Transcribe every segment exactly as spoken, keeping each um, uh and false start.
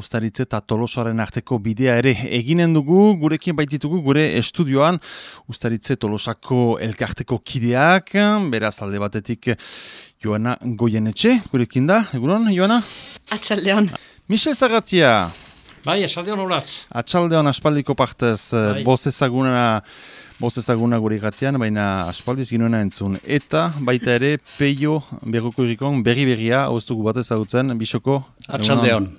Uztaritze eta Tolosaren arteko bidea ere eginen dugu, gurekin baititugu gure estudioan Uztaritze Tolosako elkarteko kideak, beraz alde batetik Joana Goienetxe, gurekin da, egunon, Joana? Atxaldeon. Michel Zagatia. Bai, atxaldeon horatz. Atxaldeon aspaldiko partez, bai. boz ezaguna, boz ezaguna gure gatian, baina aspaldiz ginoena entzun. Eta baita ere, Peio Berroko irikon berri-berria, hauztugu bat ezagutzen, Bisoko. Atxaldeon.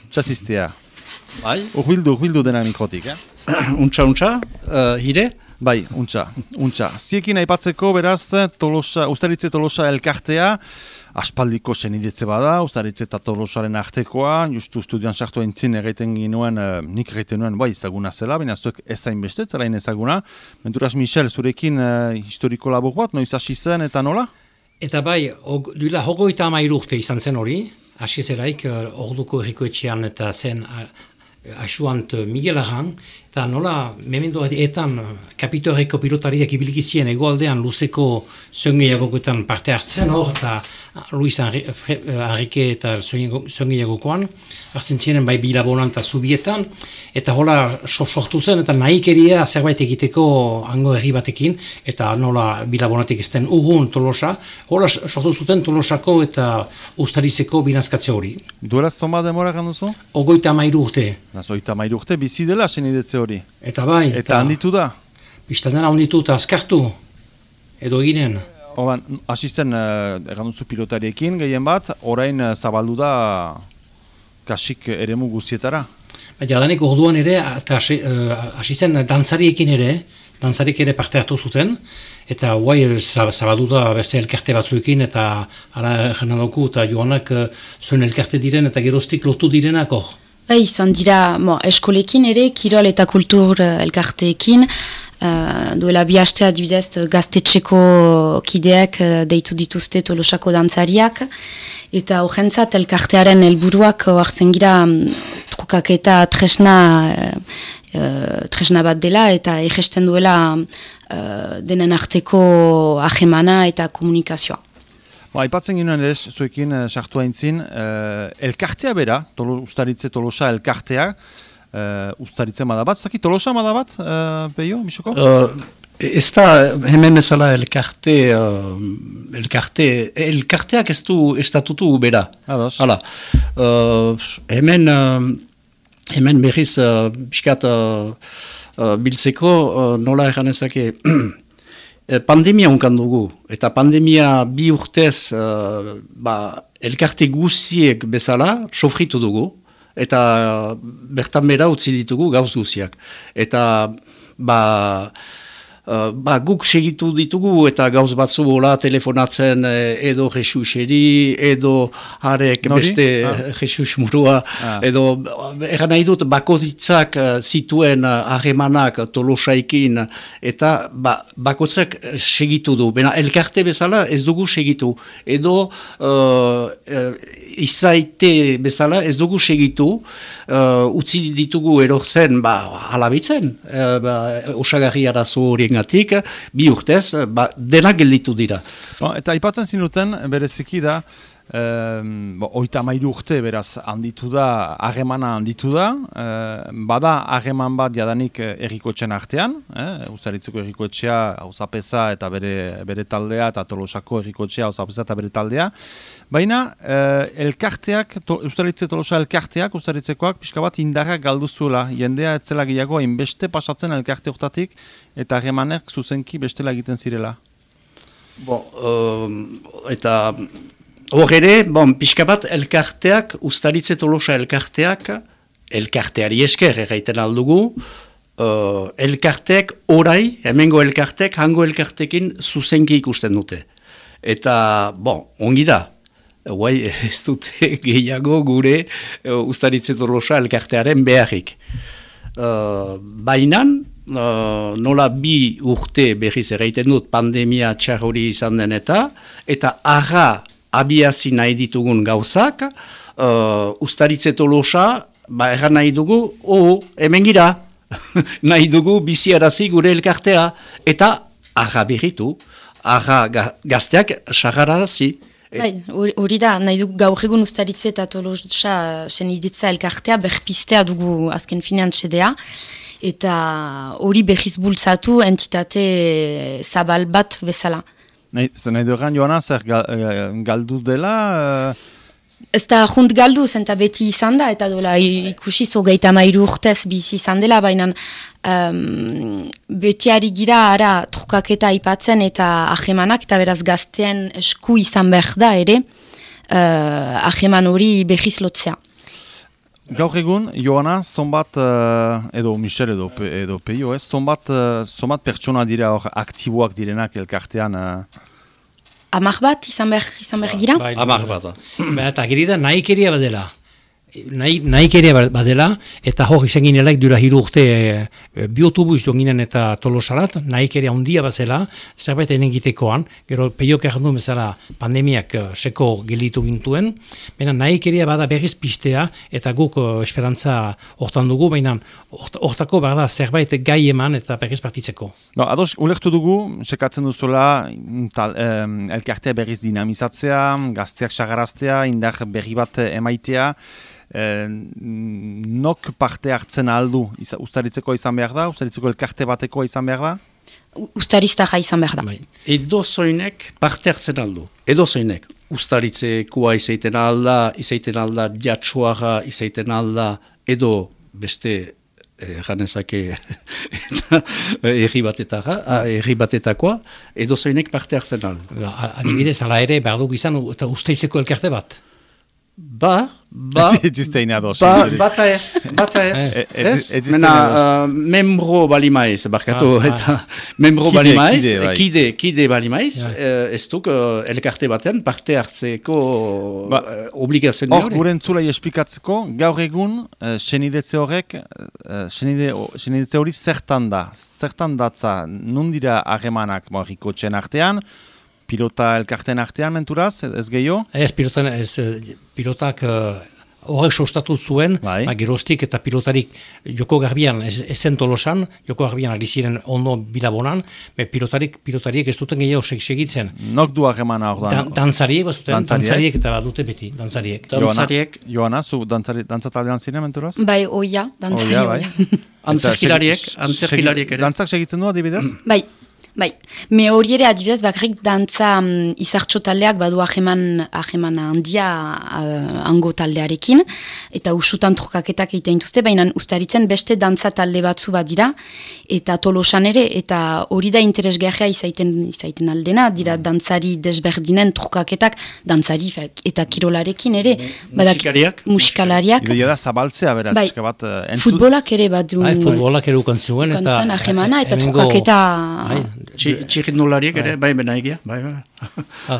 Txasiztea. Bai. Urbildu, urbildu dena mikrotik, eh? untxa, untxa, uh, hire? Bai, untxa, untxa. Ziekin aipatzeko, beraz, Tolosa, Uztaritze Tolosa elkartea, aspaldiko senidetze bada, Uztaritze eta Tolosaren artekoa, justu studioan sartu entzin erraiten ginuen, uh, nik erraiten nuen, bai, ezaguna zela, baina zuek ezain beste, zelain ezaguna. Menturaz, Michel, zurekin uh, historiko labur bat, noiz hasi zen eta nola? Eta bai, og, duela hogeita hamairu urte izan zen hori, hasi zelaik, uh, orduko errikoetxean eta zen uh, asuant Miguel Arran, eta nola, memento etan kapitoareko pilotariak ibilikizien egoaldean luzeko zongeiagokoetan parte hartzen hor, eta Luis Enrique eta zongeiagokoan, hartzen ziren bai bilabonan eta zubietan, eta hola sortu zen, eta nahikeria zerbait egiteko hango herri batekin, eta nola bilabonatik ezten urrun Tolosa, hola sortu zuten Tolosako eta Uztaritzeko binazkatze hori. Duela zoma demora ganduzu? Ogoita amairu urte. Nazoita amairu urte, bizi dela senidetze hori. Eta bai. Eta, eta handitu da? Bistan dena handitu eta azkartu. Edo eginen. Oban, hasi zen, uh, erranduzu pilotariekin gehien bat, orain uh, zabaldu da kasik eremu guzietara. Jadanik orduan ere, eta hasi uh, zen dantzariekin ere, dantzarik ere parte hartu zuten, eta guai zabaldu da beste elkarte batzuekin, eta ara jenaloku eta joanak uh, zuen elkarte diren, eta geroztik lotu direnak hor. Bai, izan dira mo, eskolekin ere, kirol eta kultur uh, elkarteekin, uh, duela bi hastea adibidez gaztetxeko kideak uh, deitu dituzte Tolosako dantzariak, eta horrentzat elkartearen helburuak hartzen gira um, trukaketa tresna, uh, uh, tresna bat dela, eta egesten duela uh, denen arteko ahemana eta komunikazioa. Ba, aipatzen ginoen ere, zuekin sartu uh, haintzin, uh, elkartea bera, tolo, Uztaritze Tolosa elkartea, uh, Uztaritze madabat, zaki Tolosa madabat, uh, Peio, Bisoko? Uh, ez da, hemen ezala elkarte, uh, elkarte, elkarteak ez du estatutu bera. Ados. Hala, uh, hemen, uh, hemen berriz, uh, biskat uh, uh, biltzeko, uh, nola eganezake, pandemia unkan dugu, eta pandemia bi urtez uh, ba, elkarte guziek bezala sofritu dugu, eta bertan bera utzi ditugu gauz guziak. Eta ba, uh, ba, guk segitu ditugu, eta gauz batzu hola telefonatzen edo Jesus-eri, edo harek Nori? beste ah. Jesus murua, ah. edo eran nahi dut bakoitzak zituen harremanak Tolosaikin, eta ba, bakoitzak segitu du. Bena elkarte bezala ez dugu segitu, edo uh, uh, izaite bezala ez dugu segitu, uh, utzi ditugu erortzen ba, halabitzen, uh, ba, osagarri arazo horiengatik, bi urtez, ba, denak gelditu dira. Ba, eta aipatzen zinuten, bereziki da, Um, oita mairu urte beraz handitu da, harremana handitu da, uh, bada harreman bat jadanik errikoetxean artean, eh? Uztaritzeko errikoetxea, Auzapeza eta bere, bere taldea, eta Tolosako errikoetxea, Auzapeza eta bere taldea, baina uh, elkarteak, to, Uztaritze Tolosa elkarteak, Uztaritzekoak, pixka bat indarrak galdu zuela, jendea etzela gehiago hainbeste pasatzen elkarte urtatik, eta harremanek zuzenki bestela egiten zirela. Bo, um, eta... Hor ere, bon, pixka bat elkarteak, Uztaritze Tolosa elkarteak, elkarteari esker erraiten aldugu, uh, elkarteak orai, hemengo elkarteak, hango elkartekin zuzenki ikusten dute. Eta, bon, ongi da, guai ez dute gehiago gure uh, Uztaritze Tolosa elkartearen beharrik. Uh, bainan, uh, nola bi urte berriz erraiten dut pandemia txar hori izan den eta, eta arra abiazi nahi ditugun gauzak, uh, Uztaritze Tolosa, ba erran nahi dugu, oh, hemen gira, nahi dugu biziarazi gure elkartea, eta arra berritu, arra ga, gazteak sarrarazi, Bai, hori da, nahi dugu gaur egun Ustaritze eta Tolosa seniditza elkartea berpistea dugu azken finean txedea, eta hori berriz bultzatu entitate zabal bat bezala. Nahi, nahi dueran, Joana, zer galdu dela... Ez da junt galdu, zenta beti izan da, eta dola ikusi zogeita mairu urtez bizi izan dela, baina um, beti ari gira ara trukaketa aipatzen eta ahemanak, eta beraz gaztean esku izan behar da ere, uh, aheman hori behiz lotzea. Gaur egun, Joana, zonbat, uh, edo Michel edo, edo Peio, ez, zonbat, uh, zonbat pertsona dira hor aktiboak direnak elkartean... Uh... Amar bat izan behar, izan behar gira? Bai, Amar bat. Ba, eta giri da nahikeria badela. Nahi, nahikeria badela, eta hor izan ginelaik dura hiru urte e, bi autobus donginen eta Tolosarat, nahikeria handia bazela, zerbait egitekoan, gero peiok errandu bezala pandemiak uh, seko gelditu gintuen, baina nahikeria bada berriz pistea, eta guk uh, esperantza hortan dugu, baina hortako bada zerbait gai eman eta berriz partitzeko. No, ados, ulertu dugu, sekatzen duzuela, tal, um, elkartea berriz dinamizatzea, gazteak sagaraztea, indar berri bat emaitea, Eh, nok parte hartzen aldu Ustaritzeko izan behar da? Ustaritzeko elkarte bateko izan behar da? Ustariztaja izan behar da. Edo zoinek parte hartzen aldu. Edo zoinek Ustaritzekoa izaiten alda, izaiten alda jatsuaga, izaiten alda, edo beste janezake erri batetakoa, edo zoinek parte hartzen aldu. Adibidez, ala ere, behar duk izan, eta Ustaritzeko elkarte bat. Ba, ba, ba, bata ez, bata ez, ez, mena, uh, membro balimaiz, barkatu, ah, eta ah. membro kide, balimaiz, kide, kide, kide balimaiz, ja. uh, ez duk uh, elkarte batean parte hartzeko ba, uh, obligazioa hori. Hor, gure entzulai esplikatzeko, gaur egun, uh, senidetze horrek, uh, senidetze hori zertan da, zertan datza, nundira harremanak morriko txen artean, pilota elkarten artean menturaz, ez gehiago? Ez, pilotan, ez, pilotak horrek uh, sostatu zuen, bai. Ma, gerostik eta pilotarik joko garbian, ezen Tolosan, joko garbian ari ziren ondo bilabonan, be pilotarik, pilotariek ez duten gehiago segitzen. Nok du harremana hor da? Dan, dantzariek, bazuten, dantzariek. dantzariek eta badute beti, dantzariek. Dantzariek. Joana, zu dantzatalean ziren menturaz? Bai, oia, dantzari oia. Bai. Antzerkilariek, antzerkilariek ere. Dantzak segitzen du adibidez? Bai. Bai, me hori ere adibidez bakarrik dantza um, izartxo taldeak badu aheman, aheman handia uh, ango taldearekin, eta usutan trukaketak egiten duzte, baina Ustaritzen beste dantza talde batzu bat dira, eta Tolosan ere, eta hori da interesgarria izaiten, izaiten aldena, dira dantzari desberdinen trukaketak, dantzari eta kirolarekin ere. Musikariak? Musikalariak. Ideia da zabaltzea, berat, bai, bat, uh, entzut... futbolak ere bat du. Bai, futbolak ere ukan zuen, eta... ahemana, eta trukaketa... Bai. Txirrindulariek ere, bai, bena egia, bai, bai.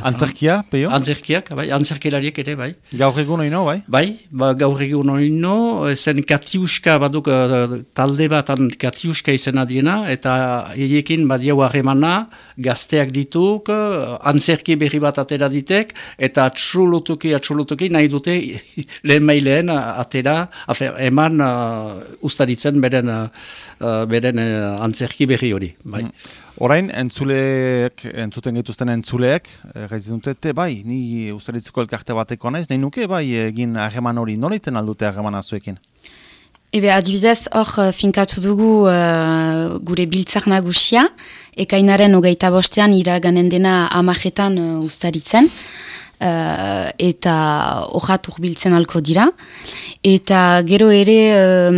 Antzerkia, Peio? Antzerkiak, bai, antzerkilariek ere, bai. Gaur egun oino, bai? Bai, ba, gaur egun oino, zen Katiuska, baduk talde batan Katiuska izena diena, eta egiekin badiau harremana, gazteak dituk, antzerki berri bat atera ditek, eta atxulutuki, atxulutuki, nahi dute lehen maileen atera, afer, eman uh, Ustaritzen beren, uh, beren uh, antzerki berri hori, bai. Mm. Orain, entzuleek, entzuten gaituzten entzuleek, gaitzen dute, bai, ni Ustaritzeko elkarte bateko naiz, nahi nuke, bai, egin harreman hori, nola iten aldute harreman azuekin? Ebe, adibidez, hor finkatu dugu uh, gure biltzak nagusia, ekainaren hogeita bostean iraganen dena amajetan uh, Ustaritzen, uh, eta horrat urbiltzen alko dira. Eta gero ere um,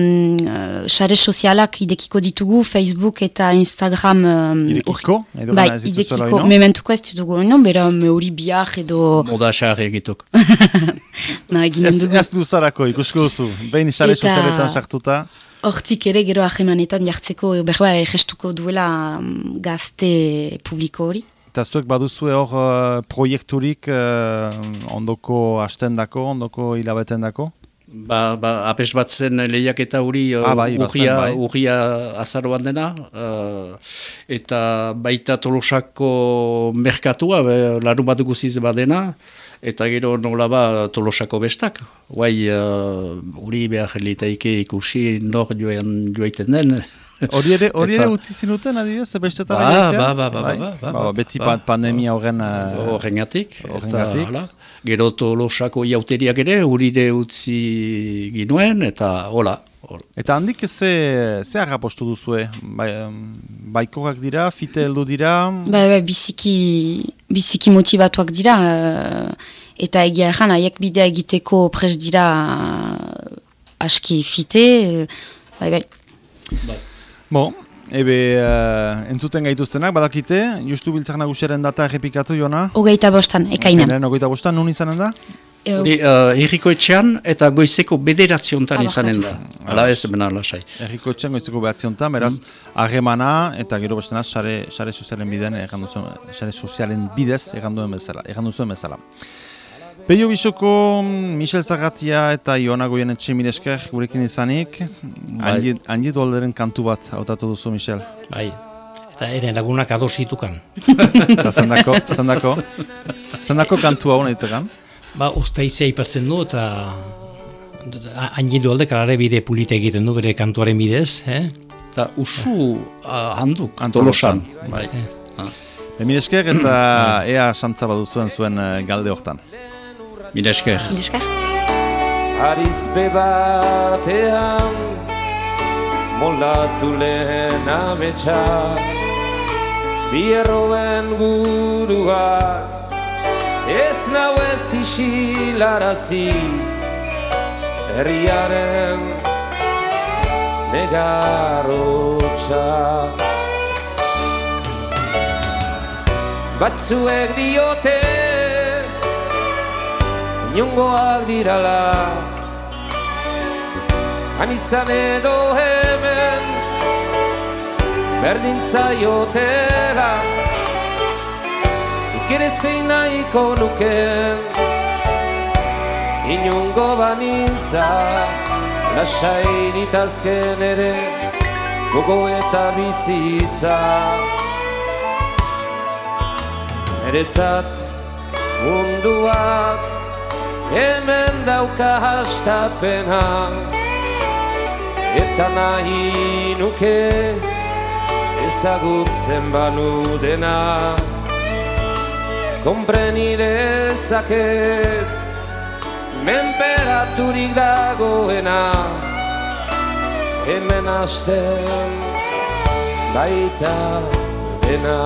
sare sozialak idekiko ditugu, Facebook eta Instagram. Um, idekiko? Or... Bai, idekiko. Mementuko ez ditugu, no? Bera me hori biak edo... Moda xarri egituk. Na, eginen dugu. Ez duzarako, ikusko duzu. Behin sare sozialetan sartuta. Hortik ere gero ahemanetan jartzeko, berba gestuko duela um, gazte publiko hori. Eta zuek baduzue hor uh, proiekturik uh, ondoko hastendako, ondoko hilabetendako? Ba, ba, apes bat zen lehiak eta huri uh, ah, bai, urria, bai. urria azaroan dena, uh, eta baita Tolosako merkatua, larun bat guziz badena, eta gero nola ba Tolosako bestak. Guai, huri uh, behar litaike ikusi nor joan joaiten den, Hori ere, hori ere utzi zinuten, adibidez, bestetan ba, egitea? Ba, ba, ba, bai? ba, ba, ba, ba, beti ba, pandemia horren... Uh, Horrengatik. Horrengatik. Eta, gero Tolosako jauteriak ere, uride utzi ginuen, eta hola. Eta handik ze, ze harrapostu duzue? Bai, baikoak dira, fite heldu dira? Ba, ba, biziki, biziki motivatuak dira, uh, eta egia erran, haiek bidea egiteko prest dira uh, aski fite, uh, bai, bai. Bai. Bo, ebe, uh, entzuten gaituztenak, badakite, justu biltzak nagusiaren data errepikatu, Jona? Hogeita bostan, ekainan. Ekainan, hogeita bostan, nun izanen da? Hori, uh, Herriko etxean eta goizeko bederatziontan Ah, izanen da. Hala ez, bena lasai. Herriko etxean goizeko behatziontan, beraz, harremana eta gero bestena sare, sare sozialen bidean, errandu zuen, sare sozialen bidez erranduen bezala, errandu zuen bezala. Peio Bisoko, Michel Zagatia eta Iona Goienetxe milesker gurekin izanik, Bai. handi dualderen kantu bat hautatu duzu, Michel. Bai, eta eren lagunak adositukan. Eta zendako, zendako, zendako kantu hau nahi tegan? Ba, Ostaizia ipatzen du, eta hain alde kalare bide polite egiten du bere kantuaren bidez, eh? Eta usu uh, handuk, Tolosan. Tolosan. Bai. Eh. Mil esker eta ea santza baduzuen zuen uh, galde hortan. Mila esker. Ileskar. Arizpe batean moldatu lehen ametsa bierroen guruak ez nau ez isilarazi herriaren negarrotxa batzuek diote inongoak dirala han izan edo hemen berdin zaiotela ikere zein nahiko nuken inongo banintza lasai ditazken ere gogo eta bizitza eretzat munduak hemen dauka hastapena eta nahi nuke ezagutzen banu dena konpreni dezaket menperaturik dagoena hemen hasten baita dena